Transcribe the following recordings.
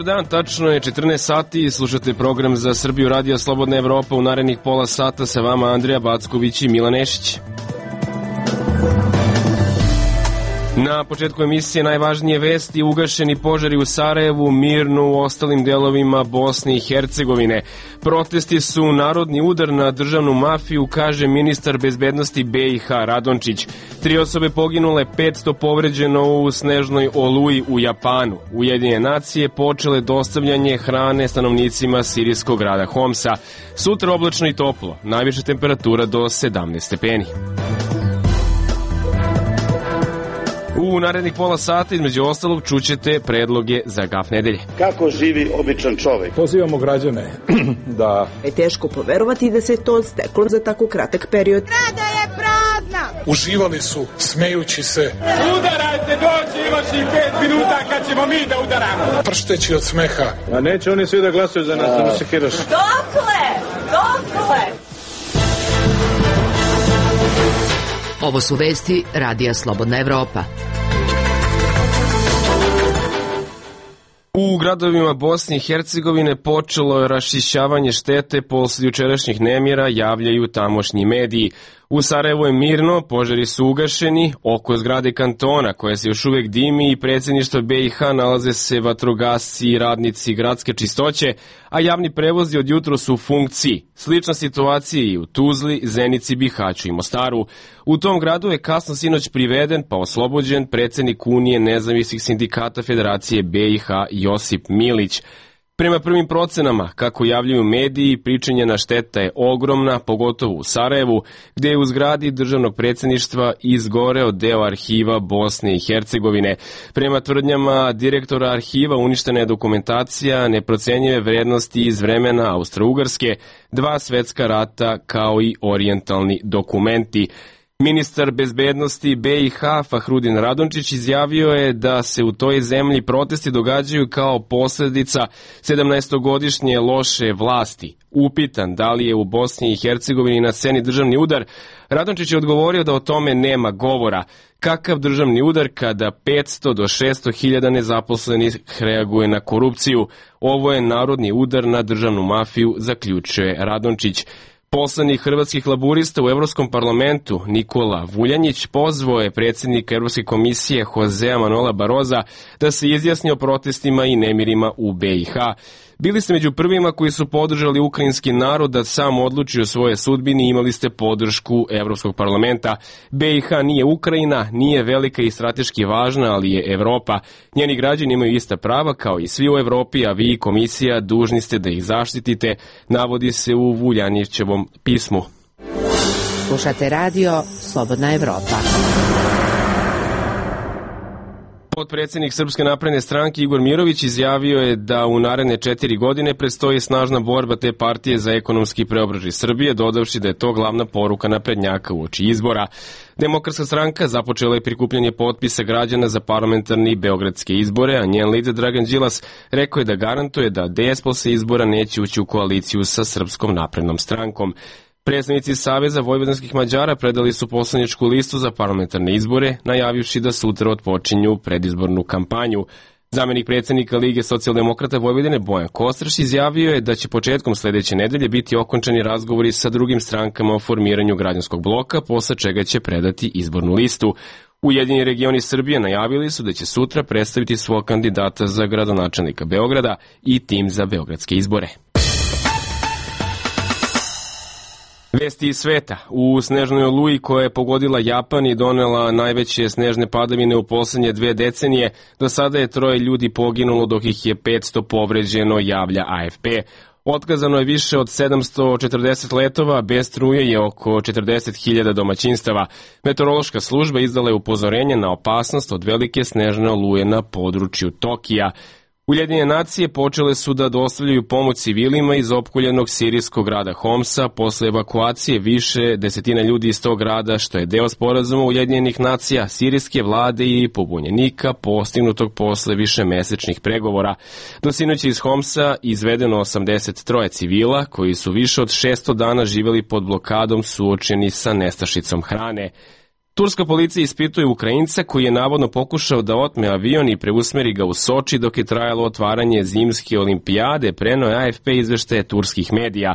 Dobar dan, tačno je 14 sati i slušate program za Srbiju Radio Slobodna Evropa. U narednih pola sata sa vama Andrija Backović i Milan Nešić. Na početku emisije najvažnije vesti: ugašeni požari u Sarajevu, mirno u ostalim delovima Bosne i Hercegovine. Protesti su narodni udar na državnu mafiju, kaže ministar bezbednosti BiH Radončić. 3 osobe poginule, 500 povređeno u snežnoj oluji u Japanu. Ujedinjene nacije počele dostavljanje hrane stanovnicima sirijskog grada Homsa. Sutra oblačno i toplo, najviša temperatura do 17 stepeni. U narednih pola sata između ostalog čućete predloge za gaf nedelje. Kako živi običan čovek? Pozivamo građane da... Je teško poverovati da se to steklo za tako kratak period. Rada je prazna! Uživali su, smejući se. Udarajte, dođi imaš i 5 minuta kad ćemo mi da udaramo. Pršteći od smeha. A neće oni svi da glasuju za nas, da mu se kiraš. Dokle? Ovo su vesti Radija Slobodna Evropa. U gradovima Bosne i Hercegovine počelo je raščišćavanje štete posle jučerašnjih nemira, javljaju tamošnji mediji. U Sarajevu je mirno, požari su ugašeni, oko zgrade kantona koja se još uvek dimi i predsjedništva BiH nalaze se vatrogasci i radnici gradske čistoće, a javni prevozi od jutro su u funkciji. Slična situacija i u Tuzli, Zenici, Bihaću i Mostaru. U tom gradu je kasno sinoć priveden pa oslobođen predsjednik Unije nezavisnih sindikata Federacije BiH Josip Milić. Prema prvim procenama, kako javljaju mediji, pričinjena šteta je ogromna, pogotovo u Sarajevu, gde je u zgradi državnog predsjedništva izgoreo deo arhiva Bosne i Hercegovine. Prema tvrdnjama direktora arhiva uništena je dokumentacija neprocenjive vrednosti iz vremena Austro-Ugarske, 2 svetska rata kao i orijentalni dokumenti. Ministar bezbednosti BiH Fahrudin Radončić izjavio je da se u toj zemlji protesti događaju kao posljedica 17-godišnje loše vlasti. Upitan da li je u Bosni i Hercegovini na sceni državni udar, Radončić je odgovorio da o tome nema govora. Kakav državni udar kada 500 do 600 hiljada nezaposlenih reaguje na korupciju? Ovo je narodni udar na državnu mafiju, zaključuje Radončić. Poslanik hrvatskih laburista u Evropskom parlamentu Nikola Vuljanjić pozvao je predsjednika Evropske komisije Josea Manuela Baroza da se izjasni o protestima i nemirima u BiH. Bili ste među prvima koji su podržali ukrajinski narod da sam odluči o svojoj sudbini i imali ste podršku Evropskog parlamenta. BiH nije Ukrajina, nije velika i strateški važna, ali je Evropa. Njeni građani imaju ista prava kao i svi u Evropi, a vi, komisija, dužni ste da ih zaštitite, navodi se u Vuljanjićevom pismu. Slušate radio Slobodna Evropa. Potpredsjednik Srpske napredne stranke Igor Mirović izjavio je da u naredne 4 godine predstoji snažna borba te partije za ekonomski preobražaj Srbije, dodavši da je to glavna poruka naprednjaka uoči izbora. Demokratska stranka započela je prikupljanje potpisa građana za parlamentarni beogradske izbore, a njen lider Dragan Đilas rekao je da garantuje da DS posle izbora neće ući u koaliciju sa Srpskom naprednom strankom. Predstavnici Saveza vojvođanskih Mađara predali su poslaničku listu za parlamentarne izbore, najavivši da sutra otpočinju predizbornu kampanju. Zamenik predsjednika Lige socijaldemokrata Vojvodine Bojan Kostraš izjavio je da će početkom sledeće nedelje biti okončani razgovori sa drugim strankama o formiranju građanskog bloka, posle čega će predati izbornu listu. Ujedinjeni regioni Srbije najavili su da će sutra predstaviti svog kandidata za gradonačelnika Beograda i tim za beogradske izbore. Vesti iz sveta. U snežnoj oluji koja je pogodila Japan i donela najveće snežne padavine u poslednje 2 decenije, do sada je 3 ljudi poginulo dok ih je 500 povređeno, javlja AFP. Otkazano je više od 740 letova, bez struje je oko 40.000 domaćinstava. Meteorološka služba izdala je upozorenje na opasnost od velike snežne oluje na području Tokija. Ujedinjene nacije počele su da dostavljaju pomoć civilima iz opkoljenog sirijskog grada Homsa posle evakuacije više desetina ljudi iz tog grada, što je deo sporazuma Ujedinjenih nacija, sirijske vlade i pobunjenika postignutog posle višemesečnih pregovora. Do sinoć iz Homsa izvedeno 83 civila koji su više od 600 dana živjeli pod blokadom suočeni sa nestašicom hrane. Turska policija ispituje Ukrajinca koji je navodno pokušao da otme avion i preusmeri ga u Soči dok je trajalo otvaranje zimske olimpijade, preneo je AFP izveštaje turskih medija.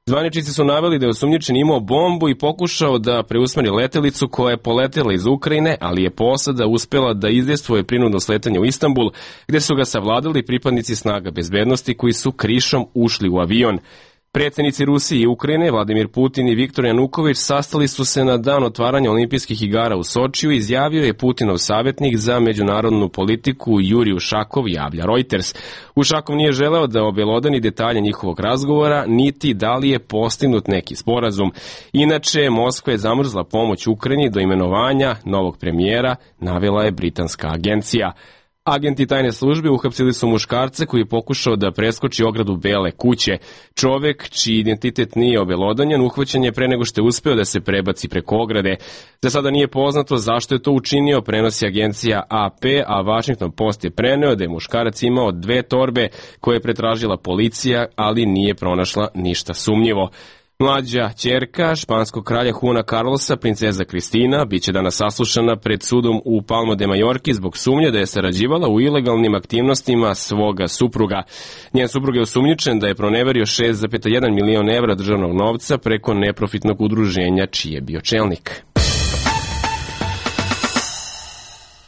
Zvaničnici su naveli da je osumnjičeni imao bombu i pokušao da preusmeri letelicu koja je poletela iz Ukrajine, ali je posada uspela da izdejstvuje prinudno sletanje u Istanbul, gde su ga savladali pripadnici snaga bezbednosti koji su krišom ušli u avion. Predsjednici Rusije i Ukrajine, Vladimir Putin i Viktor Januković, sastali su se na dan otvaranja olimpijskih igara u Sočiju, izjavio je Putinov savjetnik za međunarodnu politiku Jurij Ušakov, javlja Reuters. Ušakov nije želeo da obelodani detalje njihovog razgovora, niti da li je postignut neki sporazum. Inače, Moskva je zamrzla pomoć Ukrajini do imenovanja novog premijera, navela je britanska agencija. Agenti tajne službe uhapsili su muškarca koji je pokušao da preskoči ogradu Bele kuće. Čovek, čiji identitet nije obelodanjen, uhvaćen je pre nego što je uspeo da se prebaci preko ograde. Za sada nije poznato zašto je to učinio, prenosi agencija AP, a Washington Post je preneo da je muškarac imao 2 torbe koje je pretražila policija, ali nije pronašla ništa sumnjivo. Mlađa ćerka španskog kralja Juana Carlosa, princeza Kristina, biće danas saslušana pred sudom u Palma de Majorki zbog sumnje da je sarađivala u ilegalnim aktivnostima svoga supruga. Njen suprug je osumnjičen da je proneverio 6,1 milion evra državnog novca preko neprofitnog udruženja čiji je bio čelnik.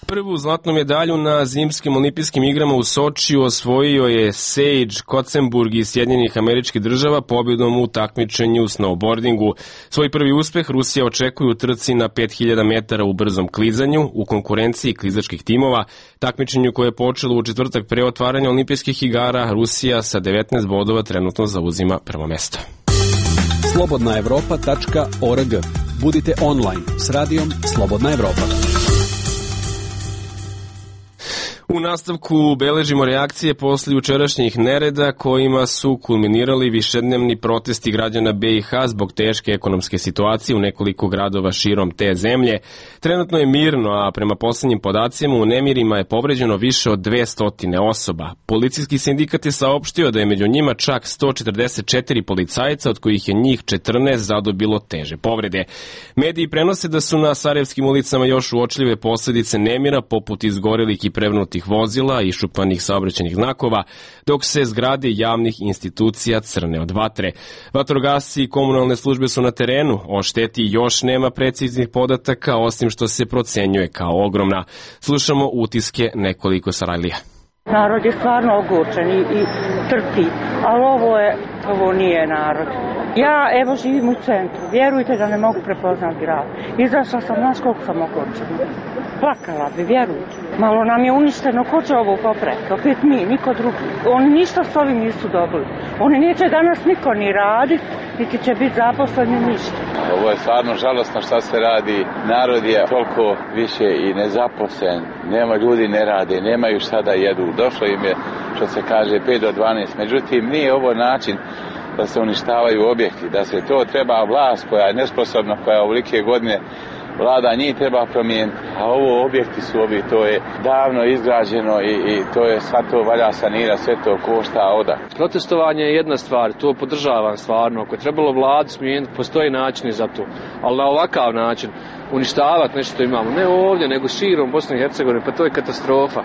Prvu zlatnu medalju na zimskim olimpijskim igrama u Sočiju osvojio je Sage Kotsenburg iz Sjedinjenih Američkih Država pobjedom u takmičenju u snowboardingu. Svoj prvi uspeh Rusija očekuje u trci na 5000 metara u brzom klizanju u konkurenciji klizačkih timova. Takmičenju koje je počelo u četvrtak pre otvaranja olimpijskih igara, Rusija sa 19 bodova trenutno zauzima prvo mesto. slobodnaevropa.org. Budite online s radijom Slobodna Evropa. U nastavku beležimo reakcije posle jučerašnjih nereda kojima su kulminirali višednevni protesti građana BiH zbog teške ekonomske situacije u nekoliko gradova širom te zemlje. Trenutno je mirno, a prema poslednjim podacima u nemirima je povređeno više od 200 osoba. Policijski sindikat je saopštio da je među njima čak 144 policajca, od kojih je njih 14 zadobilo teže povrede. Mediji prenose da su na sarajevskim ulicama još uočljive posledice nemira, poput izgorelih i prevnutih vozila i šupanih saobraćajnih znakova, dok se zgrade javnih institucija crne od vatre. Vatrogasci i komunalne službe su na terenu, o šteti još nema preciznih podataka, osim što se procenjuje kao ogromna. Slušamo utiske nekoliko Sarajlija. Narod je stvarno ogorčen i trpi, ali ovo nije narod. Ja evo živim u centru, vjerujte da ne mogu prepoznat grad. Izašla sam, znaš koliko sam ogorčena. Plakala bi, vjerujte. Malo nam je uništeno, ko će ovo popraviti? Opet mi, niko drugi. Oni ništa s ovim nisu dobili. Oni neće danas niko ni raditi, niti će biti zaposleni ništa. Ovo je stvarno žalostno šta se radi. Narod je toliko više i nezaposlen. Nema ljudi, ne rade, nemaju šta da jedu. Došlo im je, što se kaže, 5 do 12. Međutim, nije ovo način da se uništavaju objekti, da se to treba vlast koja je nesposobna, koja je ovolike godine vlada, njih treba promijeniti. A ovo objekti su ovi, to je davno izgrađeno i to je sad to valja sanirati, sve to košta oda. Protestovanje je jedna stvar, to podržavam stvarno. Ako je trebalo vladu smijeniti, postoji načini za to. Ali na ovakav način uništavati nešto što imamo, ne ovdje, nego širom Bosne i Hercegovine, pa to je katastrofa.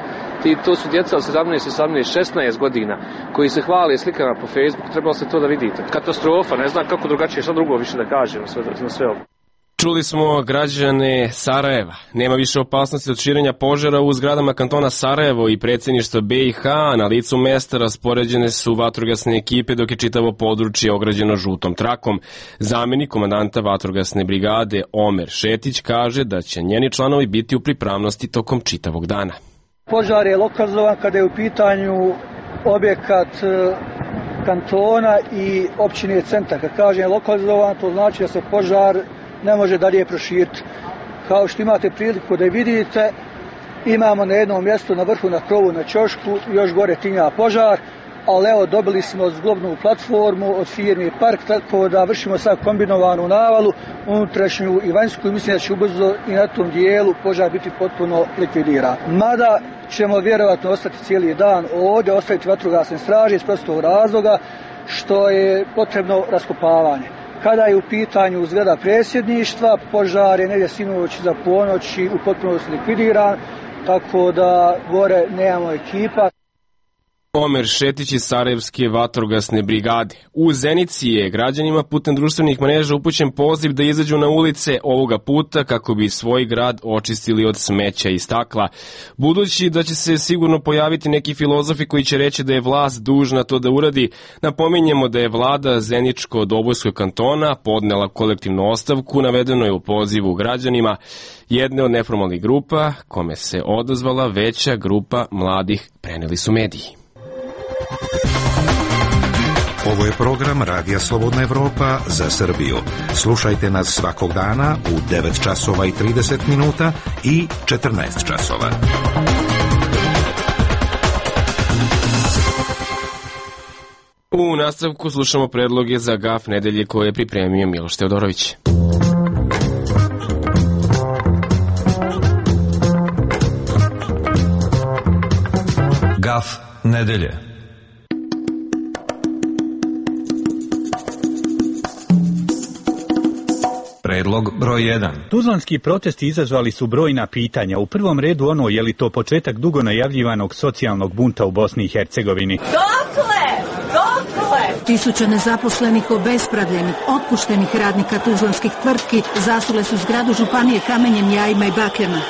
To su djeca od 17, 18, 16 godina koji se hvale slikama po Facebooku, trebalo se to da vidite. Katastrofa, ne znam kako drugačije, šta drugo više da kažem na sve ovo. Čuli smo građane Sarajeva. Nema više opasnosti od širenja požara u zgradama kantona Sarajevo i predsjedništva BiH. Na licu mesta raspoređene su vatrogasne ekipe dok je čitavo područje ograđeno žutom trakom. Zamjenik komandanta vatrogasne brigade Omer Šetić kaže da će njeni članovi biti u pripravnosti tokom čitavog dana. Požar je lokalizovan kada je u pitanju objekat kantona i općine centar. Kad kažem lokalizovan, to znači da se požar ne može dalje proširiti. Kao što imate priliku da vidite, imamo na jednom mjestu na vrhu na krovu na ćošku, još gore tinja požar, ali evo dobili smo zglobnu platformu od firme Park, tako da vršimo sad kombinovanu navalu, unutrašnju i vanjsku, i mislim da će ubrzo i na tom dijelu požar biti potpuno likvidiran. Mada ćemo vjerovatno ostati cijeli dan ovdje, ostaviti vatrogasne straže iz prostog razloga što je potrebno raskopavanje. Kada je u pitanju zgrada predsjedništva, požar je negdje sinoć za ponoć i u potpunosti likvidiran, tako da gore nemamo ekipa. Omer Šetić iz Sarajevske vatrogasne brigade. U Zenici je građanima putem društvenih mreža upućen poziv da izađu na ulice ovoga puta kako bi svoj grad očistili od smeća i stakla. Budući da će se sigurno pojaviti neki filozofi koji će reći da je vlast dužna to da uradi, napominjemo da je vlada Zeničko-Dobojskog kantona podnela kolektivnu ostavku, navedeno je u pozivu građanima jedne od neformalnih grupa, kome se odazvala veća grupa mladih, preneli su mediji. Ovo je program Radija Slobodna Evropa za Srbiju. Slušajte nas svakog dana u 9 časova i 30 minuta i 14 časova. U nastavku slušamo predloge za GAF nedelje koje je pripremio Miloš Teodorović. GAF nedelje. Predlog broj 1. Tuzlanski protesti izazvali su brojna pitanja. U prvom redu ono je li to početak dugo najavljivanog socijalnog bunta u Bosni i Hercegovini. Dokle? Tisuće nezaposlenih, obespravljenih, otpuštenih radnika tuzlanskih tvrtki zasule su zgradu županije kamenjem, jajima i bakljama.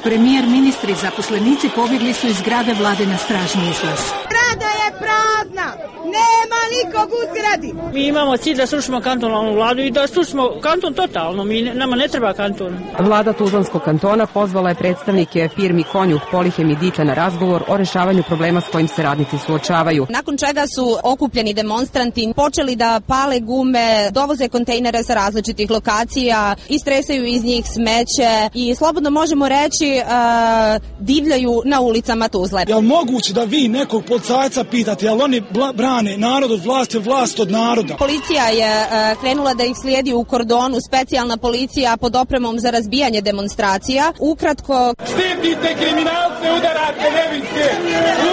Premijer, ministri i zaposlenici pobjegli su iz zgrade vlade na stražni izlaz. Zgrada je prazna, nema nikog u zgradi. Mi imamo cilj da srušimo kantonalnu vladu i da srušimo kanton totalno, nama ne treba kanton. Vlada Tuzlanskog kantona pozvala je predstavnike firmi Konjuh, Polihem i Dite na razgovor o rešavanju problema s kojim se radnici suočavaju. Nakon čega su okupljeni demonstranti počeli da pale gume, dovoze kontejnere sa različitih lokacija, istresaju iz njih smeće i slobodno možemo reći divljaju na ulicama Tuzle. Je li moguće da vi nekog policajca pitate, jel oni brane narod od vlasti, vlast od naroda? Policija je krenula da ih slijedi u kordonu, specijalna policija pod opremom za razbijanje demonstracija. Ukratko... Štitite kriminalce, udarate nevinske,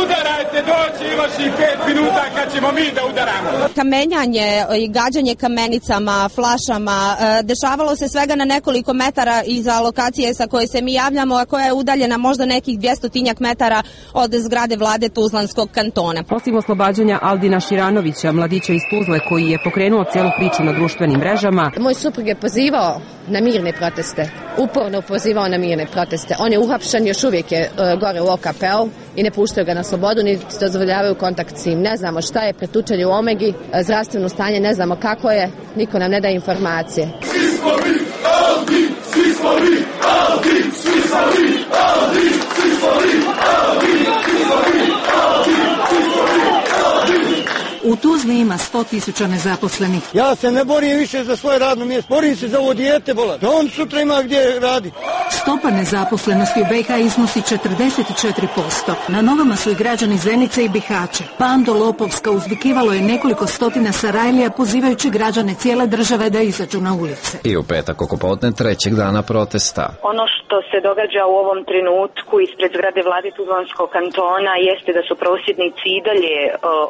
udarajte, doći imaš i 5 minuta kad ćemo mi da udaramo. Kamenjanje i gađanje kamenicama, flašama, dešavalo se svega na nekoliko metara iza lokacije sa koje se mi javljamo, a koja je udaljena možda nekih 200 metara od zgrade vlade Tuzlanskog kantona. Osim oslobađanja Aldina Širanovića, mladića iz Tuzle koji je pokrenuo cijelu priču na društvenim mrežama. Moj suprug je pozivao na mirne proteste, uporno pozivao na mirne proteste. On je uhapšen, još uvijek je gore u OKP-u i ne puštaju ga na slobodu, ni dozvoljavaju kontakt s njim. Ne znamo šta je, pretučen je u Omegi, zdravstveno stanje ne znamo kako je, niko nam ne daje informacije. Svi smo mi, Aldi, svi smo mi, Aldi, svi smo mi, Aldi, svi smo mi, Aldi, svi smo mi, Aldi, svi smo mi, Aldi. U Tuzli ima 100.000 nezaposlenih. Ja se ne borim više za svoje radno mjesto, borim se za ovo dijete, bola. Da on sutra ima gdje radi. Stopa nezaposlenosti u BiH iznosi 44%. Na nogama su i građani Zenice i Bihaća. Bando lopovska uzvikivalo je nekoliko stotina Sarajlija pozivajući građane cijele države da izađu na ulice. I u petak oko podne trećeg dana protesta. Ono što se događa u ovom trenutku ispred zgrade vlade Tuzlanskog kantona jeste da su prosvjednici i dalje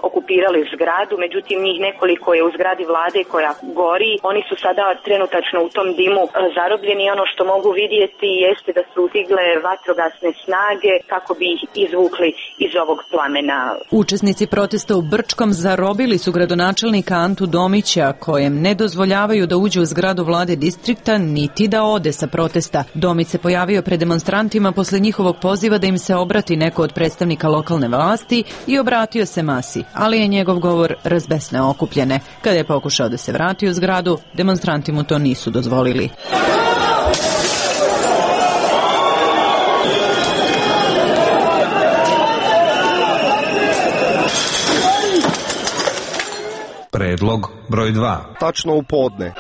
okupirali zgradu, međutim njih nekoliko je u zgradi vlade koja gori. Oni su sada trenutačno u tom dimu zarobljeni. Ono što mogu vidjeti jeste da su stigle vatrogasne snage kako bi ih izvukli iz ovog plamena. Učesnici protesta u Brčkom zarobili su gradonačelnika Antu Domića, kojem ne dozvoljavaju da uđe u zgradu vlade distrikta niti da ode sa protesta. Domić se pojavio pred demonstrantima posle njihovog poziva da im se obrati neko od predstavnika lokalne vlasti i obratio se masi, ali je njegov govor razbesneo okupljene. Kada je pokušao da se vrati u zgradu, demonstranti mu to nisu dozvolili. Predlog broj 2. Tačno u podne.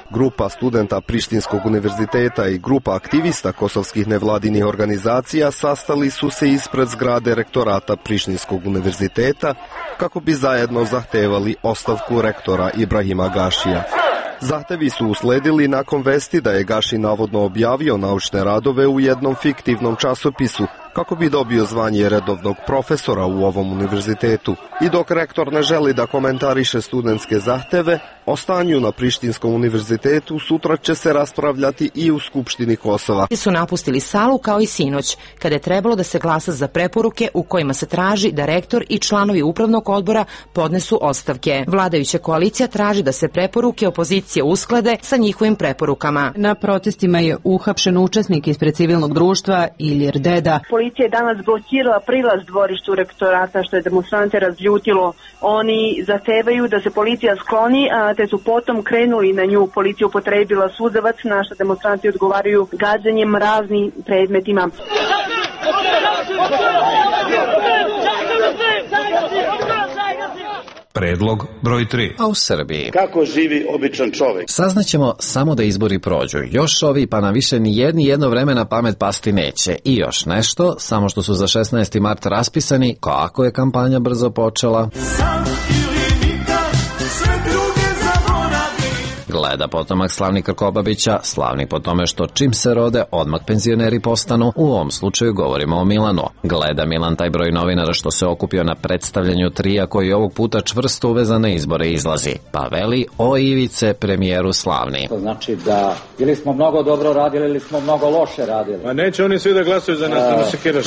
Grupa studenta Prištinskog univerziteta i grupa aktivista kosovskih nevladinih organizacija sastali su se ispred zgrade rektorata Prištinskog univerziteta kako bi zajedno zahtevali ostavku rektora Ibrahima Gašija. Zahtevi su usledili nakon vesti da je Gaši navodno objavio naučne radove u jednom fiktivnom časopisu kako bi dobio zvanje redovnog profesora u ovom univerzitetu. I dok rektor ne želi da komentariše studentske zahteve, o stanju na Prištinskom univerzitetu sutra će se raspravljati i u Skupštini Kosova. Su napustili salu kao i sinoć, kada je trebalo da se glasa za preporuke u kojima se traži da rektor i članovi upravnog odbora podnesu ostavke. Vladajuća koalicija traži da se preporuke opozicije usklade sa njihovim preporukama. Na protestima je uhapšen učesnik ispred civilnog društva Ilir Deda. Policija je danas blokirala prilaz dvorištu rektorata, što je demonstrante razljutilo. Oni zahtevaju da se policija skloni, te su potom krenuli na nju. Policija upotrebila suzavac, na što demonstranti odgovaraju gađanjem raznim predmetima. Predlog broj 3. A u Srbiji? Kako živi običan čovjek? Saznaćemo samo da izbori prođu. Još ovi, pa na više ni jedno vreme na pamet pasti neće. I još nešto, samo što su za 16. mart raspisani, kako je kampanja brzo počela. Gleda potomak Slavni Krkobabića, slavni po tome što čim se rode, odmah penzioneri postanu. U ovom slučaju govorimo o Milanu. Gleda Milan taj broj novinara što se okupio na predstavljanju trija koji ovog puta čvrsto uvezan na izbore izlazi. Pa veli o Ivice, premijeru slavni. To znači da ili smo mnogo dobro radili ili smo mnogo loše radili. Ma neće oni svi da glasuju za nas, da se kiraš.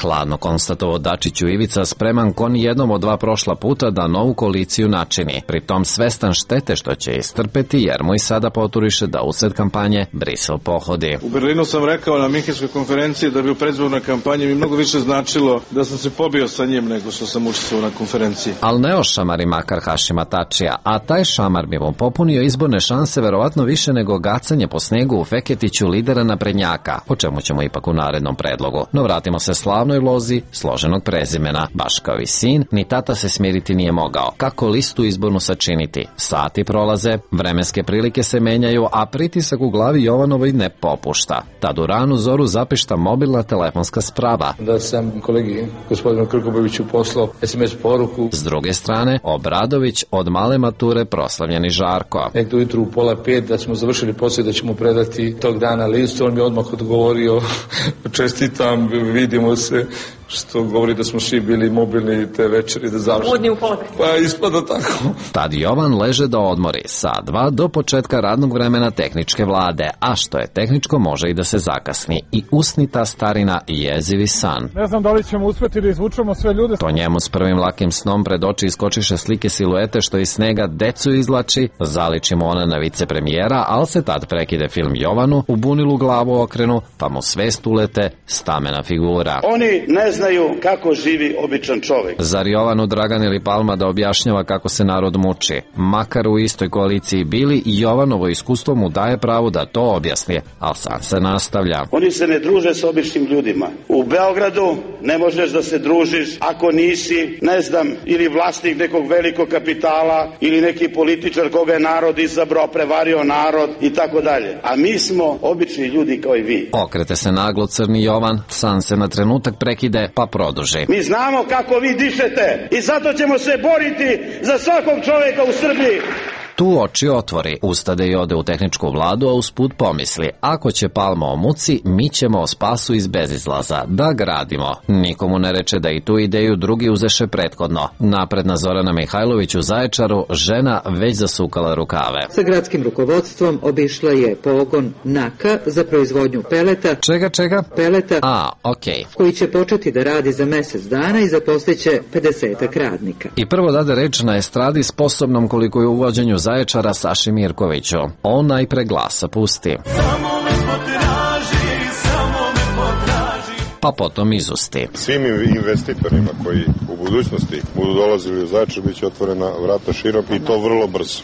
Hladno konstatovao Dačiću Ivica, spreman ko ni jednom od dva prošla puta da novu koaliciju načini. Pritom svestan štete što će istrpeti jer mu i sada poturiše da usred kampanje Brisel pohodi. U Berlinu sam rekao na Minhenskoj konferenciji da bi u predizbornoj kampanji mi mnogo više značilo da sam se pobio sa njim nego što sam učestvovao na konferenciji. Al ne ošamari makar Hašima Tačija, a taj šamar bi mu popunio izborne šanse verovatno više nego gacanje po snegu u Feketiću lidera naprednjaka, o čemu ćemo ipak u narednom predlogu. No vratimo se slavnoj lozi složenog prezimena. Baš kao i sin, ni tata se smiriti nije mogao. Kako listu izbornu sačiniti? Sati prolaze, vremenske prilike se menjaju, a pritisak u glavi Jovanovoj ne popušta. Tad u ranu zoru zapišta mobilna telefonska sprava. Da sam kolegi gospodinu Krkobabiću poslao SMS poruku. S druge strane, Obradović od male mature proslavljeni Žarko. Nekdo ujutru u 4:30 da smo završili posao da ćemo predati tog dana listu, on mi odmah odgovorio čestitam, vidimo se, što govori da smo svi bili mobilni te večeri da završimo. Budni u 4:30. Pa ispada tako. Tad Jovan leže da odmori sat dva do početka radnog vremena tehničke vlade, a što je tehničko može i da se zakasni. I usni ta starina i jezivi san. Ne znam da li ćemo uspeti da izvučemo sve ljude. To njemu s prvim lakim snom pred oči iskočiše slike siluete što iz snega decu izlači, zaliči mu ona na vicepremijera, ali se tad prekide film Jovanu, u bunilu glavu okrenu, pa mu svest ulete stamena figura. Oni ne znaju kako živi običan čovjek. Zar Jovanu Dragan ili Palma da objašnjava kako se narod muči? Makar u istoj koaliciji bili, i Jovanovo iskustvo mu daje pravo da to objasni, ali sam se nastavlja. Oni se ne druže s običnim ljudima. U Beogradu ne možeš da se družiš ako nisi, ne znam, ili vlasnik nekog velikog kapitala ili neki političar koga je narod izabrao, prevario narod i tako dalje. A mi smo obični ljudi kao i vi. Okrete se naglo crni Jovan, san se na trenutak prekide, pa produži. Mi znamo kako vi dišete i zato ćemo se boriti za svakog čovjeka u Srbiji. Tu oči otvori, ustade i ode u tehničku vladu, a usput pomisli, ako će Palma o muci, mi ćemo o spasu iz bezizlaza, da gradimo. Nikomu ne reče da i tu ideju drugi uzeše prethodno. Napredna Zorana Mihajlović u Zaječaru, žena već zasukala rukave. Sa gradskim rukovodstvom obišla je pogon NAKA za proizvodnju peleta. Čega? Peleta. Okej. Koji će početi da radi za mesec dana i zaposliće 50 radnika. I prvo dade reč na estradi sposobnom koliko je u uvođenju Zaječara Saši Mirkoviću. On najpre glasa pusti. Pa potom izusti. Svim investitorima koji u budućnosti budu dolazili u Zaječar biće otvorena vrata širom i to vrlo brzo.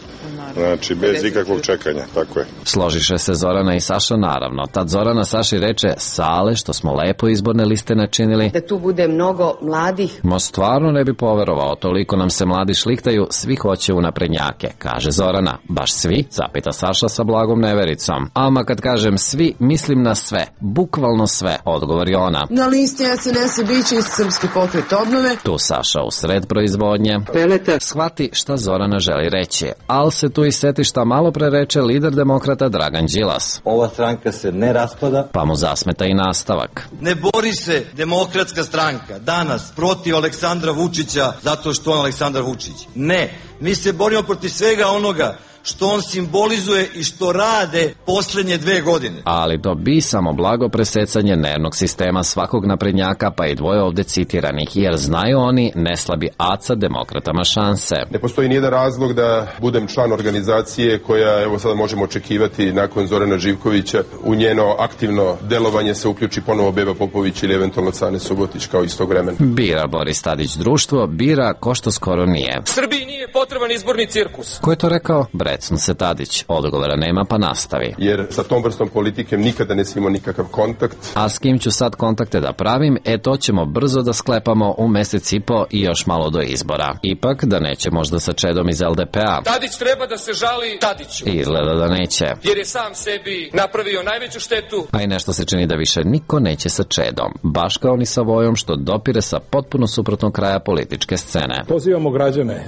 Znači, bez ikakvog čekanja, tako je. Složiše se Zorana i Saša, naravno. Tad Zorana Saši reče, Sale, što smo lepo izborne liste načinili. Da tu bude mnogo mladih. Mo stvarno ne bi poverovao, toliko nam se mladi šlihtaju, svi hoće u naprednjake, kaže Zorana. Baš svi, zapita Saša sa blagom nevericom. Ama kad kažem svi, mislim na sve, bukvalno sve, odgovori ona. Na listi SNS biće iz Srpski pokret obnove. Tu Saša u sred proizvodnje. Peleta. Shvati šta Zorana želi reći, ali se tu tu iz setišta malo pre reče lider demokrata Dragan Đilas. Ova stranka se ne raspada. Pa mu zasmeta i nastavak. Ne bori se Demokratska stranka danas protiv Aleksandra Vučića zato što on Aleksandar Vučić. Ne, mi se borimo protiv svega onoga što on simbolizuje i što rade poslednje 2 godine. Ali to bi samo blago presecanje nervnog sistema svakog naprednjaka, pa i dvoje ovde citiranih, jer znaju oni ne slabi Aca demokratama šanse. Ne postoji nijedan razlog da budem član organizacije koja, evo sada možemo očekivati nakon Zorana Živkovića, u njeno aktivno delovanje se uključi ponovo Beba Popović ili eventualno Cane Subotić kao istog vremena. Bira Boris Tadić društvo, bira ko što skoro nije. Srbiji nije potreban izborni cirkus. Ko je to rekao? Brecnu se Tadić. Odgovora nema, pa nastavi. Jer sa tom vrstom politike nikada ne imao nikakav kontakt. A s kim ću sad kontakte da pravim? To ćemo brzo da sklepamo u mesec i po i još malo do izbora. Ipak da neće možda sa Čedom iz LDP-a. Tadić treba da se žali Tadiću. Izgleda da neće. Jer je sam sebi napravio najveću štetu. A i nešto se čini da više niko neće sa Čedom. Baš kao ni sa Vojom što dopire sa potpuno suprotnog kraja političke scene. Pozivamo građane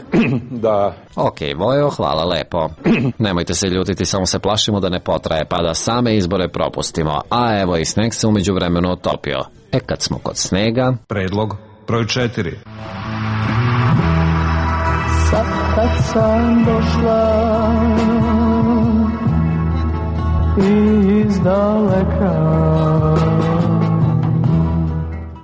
da... Ok, Vojo, hvala lepo. Nemojte se ljutiti, samo se plašimo da ne potraje, pa da same izbore propustimo. A evo i sneg se umeđu vremenu otopio. Kad smo kod snega... Predlog broj 4. Sad kad sam došla iz daleka,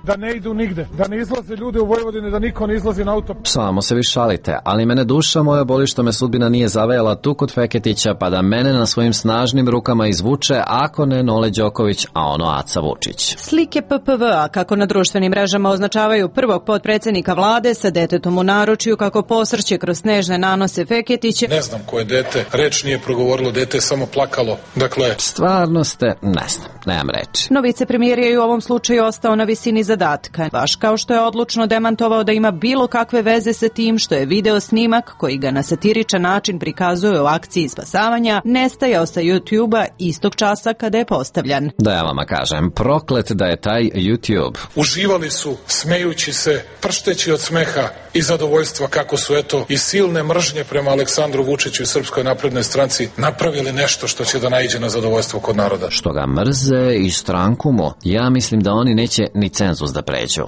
da ne idu nigde, da ne izlaze ljude u Vojvodini, da niko ne izlazi na auto. Samo se vi šalite, ali mene duša moja boli što me sudbina nije zavejala tu kod Feketića, pa da mene na svojim snažnim rukama izvuče, ako ne Nole Đoković, a ono Aca Vučić. Slike PPV-a kako na društvenim mrežama označavaju prvog potpredsednika vlade sa detetom u naručju kako posrće kroz snežne nanose Feketiće. Ne znam ko je dete, reč nije progovorilo, dete je samo plakalo. Dakle, stvarno ste, ne znam, nemam reči. No vicepremijer je u ovom slučaju ostao na visini zadatka, baš kao što je odlučno demantovao da ima bilo kakve veze sa tim što je video snimak koji ga na satiričan način prikazuje u akciji spasavanja nestajao sa YouTube-a istog časa kada je postavljan. Da ja vama kažem, proklet da je taj YouTube. Uživali su, smejući se, pršteći od smeha i zadovoljstva kako su eto i silne mržnje prema Aleksandru Vučiću i Srpskoj naprednoj stranci napravili nešto što će da naiđe na zadovoljstvo kod naroda. Što ga mrze i stranku mu, ja mislim da oni neće ni cenzus da pređu.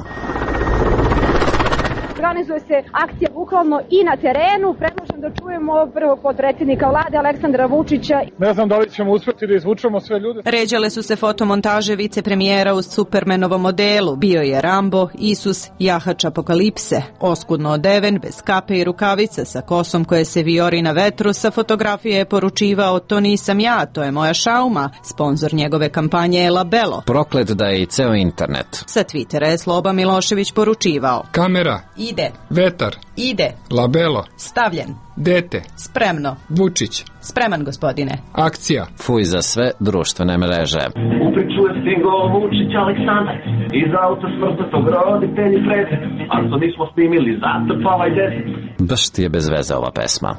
Organizuje se akcija bukvalno i na terenu. Predlažem da čujemo prvog potpredsjednika vlade Aleksandra Vučića. Ne znam da li ćemo uspjeti da izvučemo sve ljude. Ređale su se fotomontaže vicepremijera u Supermanovom modelu. Bio je Rambo, Isus, jahač apokalipse. Oskudno odeven, bez kape i rukavica, sa kosom koje se vijori na vetru. Sa fotografije je poručivao: to nisam ja, to je moja šauma. Sponzor njegove kampanje je Labelo. Proklet da je i ceo internet. Sa Twittera je Sloba Milošević poručivao: kamera. Ide. Vetar. Ide. Labelo. Stavljen. Dete. Spremno. Vučić. Spreman, gospodine. Akcija. Fuj za sve društvene mreže. U priču je stigao Vučić Aleksandar, iz auta smrtnog roditelji Frede, a to nismo snimili, zatrpavaj deset. Baš ti je bez veze ova pesma.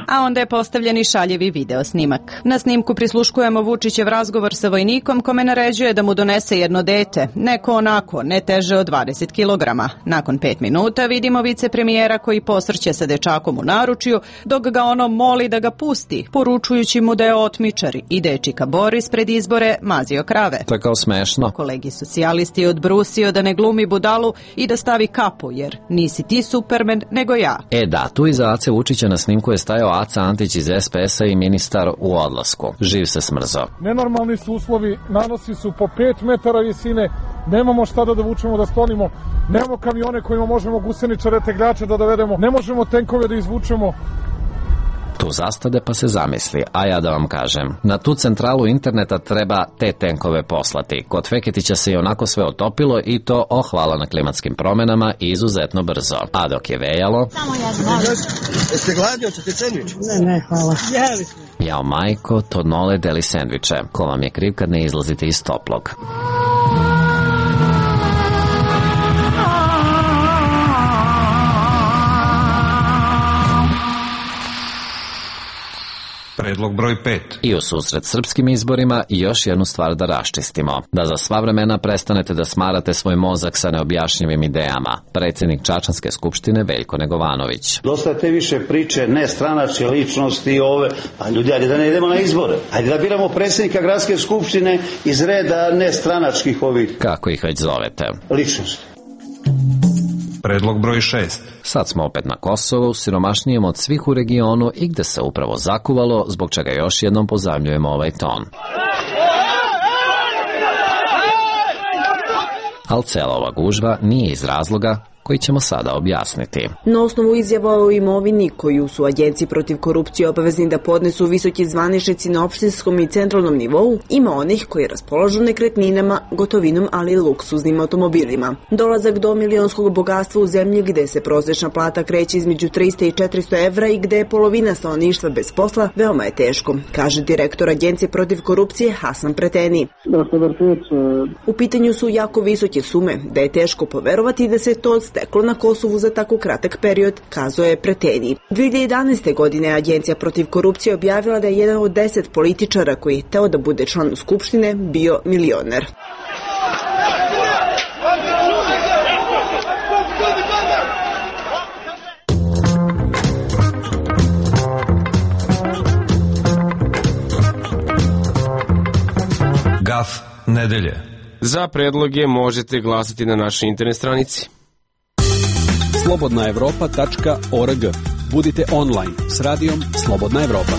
A onda je postavljen i šaljevi video snimak. Na snimku prisluškujemo Vučićev razgovor sa vojnikom kome naređuje da mu donese jedno dete, neko onako, ne teže od 20 kilograma. Nakon 5 minuta vidimo vicepremijera koji posrće sa dečakom u naručju, dok ga ono moli da ga pusti, poručujući mu da je otmičar i dečika Boris pred izbore mazio krave. To je kao smešno. Kolegi socijalisti je odbrusio da ne glumi budalu i da stavi kapu, jer nisi ti Superman, nego ja. Da, tu iza Ace Vučića na snimku je stajao Aca Antić iz SPS-a i ministar u odlasku. Živ se smrzo. Nenormalni su uslovi, nanosi su po 5 metara visine, nemamo šta da vučemo, da sklonimo, nemamo kamione kojima možemo guseničare, tegljače da dovedemo, ne možemo tenkove da izvučemo. Tu zastade pa se zamisli, a ja da vam kažem, na tu centralu interneta treba te tenkove poslati. Kod Feketića se i onako sve otopilo i to, hvala na klimatskim promenama, izuzetno brzo. A dok je vejalo... Samo jedno. Jeste gladni, hoćete sendvič? Ne, hvala. Jao majko, to Nole deli sendviče. Ko vam je kriv kad ne izlazite iz toplog? Predlog Predlog broj 5. I u susret srpskim izborima još jednu stvar da raščistimo. Da za sva vremena prestanete da smarate svoj mozak sa neobjašnjivim idejama. Predsjednik Čačanske skupštine Veljko Negovanović. Dosta te više priče, ne stranačke ličnosti ove, pa ljudi, ajde da ne idemo na izbore. Ajde da biramo predsjednika gradske skupštine iz reda ne stranačkih ovih. Kako ih već zovete? Ličnosti. Predlog broj 6. Sad smo opet na Kosovu, siromašnijem od svih u regionu i gde se upravo zakuvalo, zbog čega još jednom pozajmljujemo ovaj ton. Ali cela ova gužva nije iz razloga koji ćemo sada objasniti. Na osnovu izjava o imovini koju su agenciji protiv korupcije obavezni da podnesu visoki zvaničnici na opštinskom i centralnom nivou, ima onih koji raspolažu nekretninama, gotovinom, ali i luksuznim automobilima. Dolazak do milionskog bogatstva u zemlji gde se prosječna plata kreće između 300 i 400 evra i gde je polovina stanovništva bez posla, veoma je teško, kaže direktor agencije protiv korupcije Hasan Preteni. U pitanju su jako visoke sume, da je teško poverovati da se to steklo na Kosovu za tako kratak period, kazao je Preteni. 2011. godine Agencija protiv korupcije objavila da je jedan od 10 političara koji je hteo da bude član Skupštine bio milioner. Gaf nedelje. Za predloge možete glasati na našoj internet stranici. slobodnaevropa.org. Budite online s radijom Slobodna Evropa.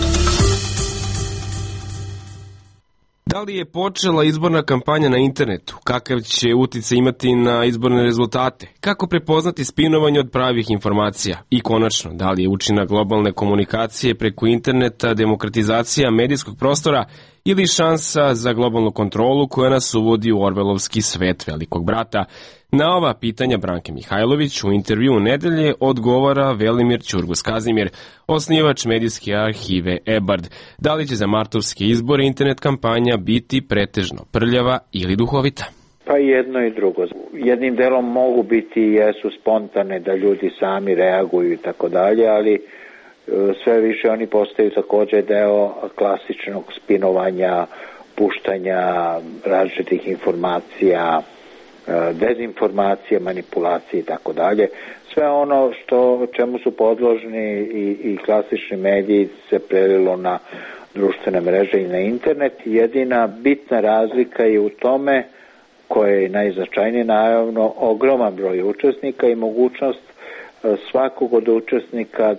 Da li je počela izborna kampanja na internetu? Kakav će uticaj imati na izborne rezultate? Kako prepoznati spinovanje od pravih informacija? I konačno, da li je učinak globalne komunikacije preko interneta demokratizacija medijskog prostora ili šansa za globalnu kontrolu koja nas uvodi u orvelovski svet velikog brata? Na ova pitanja Branke Mihajlović u intervju nedelje odgovara Velimir Ćurgus-Kazimir, osnivač medijske arhive EBARD. Da li će za martovske izbore internet kampanja biti pretežno prljava ili duhovita? Pa jedno i drugo. Jednim delom mogu biti i jesu spontane da ljudi sami reaguju i tako dalje, ali sve više oni postaju također deo klasičnog spinovanja, puštanja različitih informacija, dezinformacije, manipulacije i tako dalje. Sve ono čemu su podložni i klasični mediji se prelilo na društvene mreže i na internet. Jedina bitna razlika je u tome, koja je najznačajnije, naravno ogroman broj učesnika i mogućnost svakog od učesnika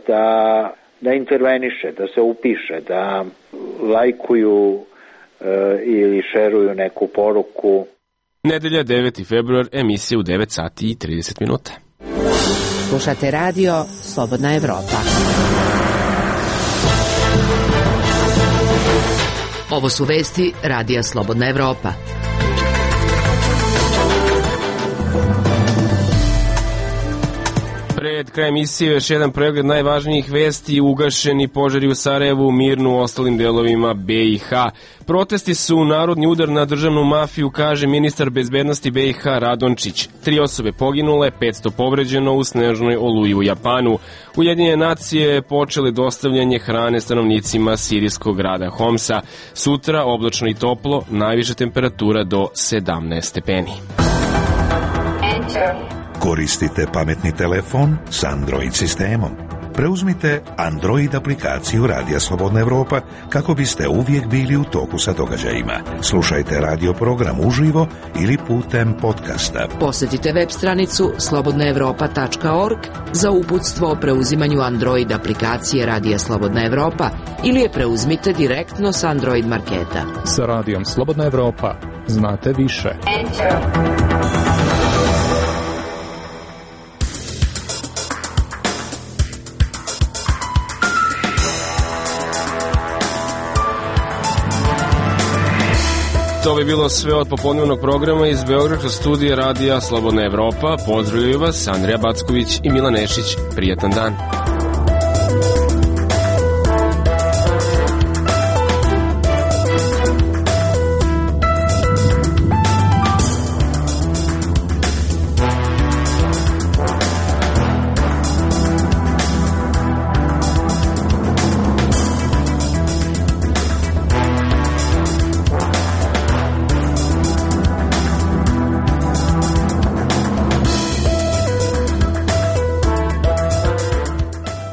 da interveniše, da se upiše, da lajkuju ili šeruju neku poruku. Nedelja 9. februar, emisija u 9 sati i 30 minuta. Slušate radio Slobodna Evropa. Ovo su vesti radija Slobodna Evropa. Pred krajem emisije još jedan pregled najvažnijih vesti. Ugašeni požari u Sarajevu, Mirnu, u ostalim delovima BiH. Protesti su narodni udar na državnu mafiju, kaže ministar bezbednosti BiH Radončić. 3 osobe poginule, 500 povređeno u snežnoj oluji u Japanu. Ujedinjene nacije počele dostavljanje hrane stanovnicima sirijskog grada Homsa. Sutra oblačno i toplo, najviša temperatura do 17 stepeni. Koristite pametni telefon s Android sistemom. Preuzmite Android aplikaciju Radija Slobodna Evropa kako biste uvijek bili u toku sa događajima. Slušajte radio program uživo ili putem podcasta. Posjetite web stranicu slobodnaevropa.org za uputstvo o preuzimanju Android aplikacije Radija Slobodna Evropa ili je preuzmite direktno s Android marketa. Sa Radijom Slobodna Evropa znate više. To bi bilo sve od popodnevnog programa iz Beogradskog studija Radija Slobodna Evropa. Pozdravljaju vas Andrija Backović i Milan Nešić. Prijatan dan.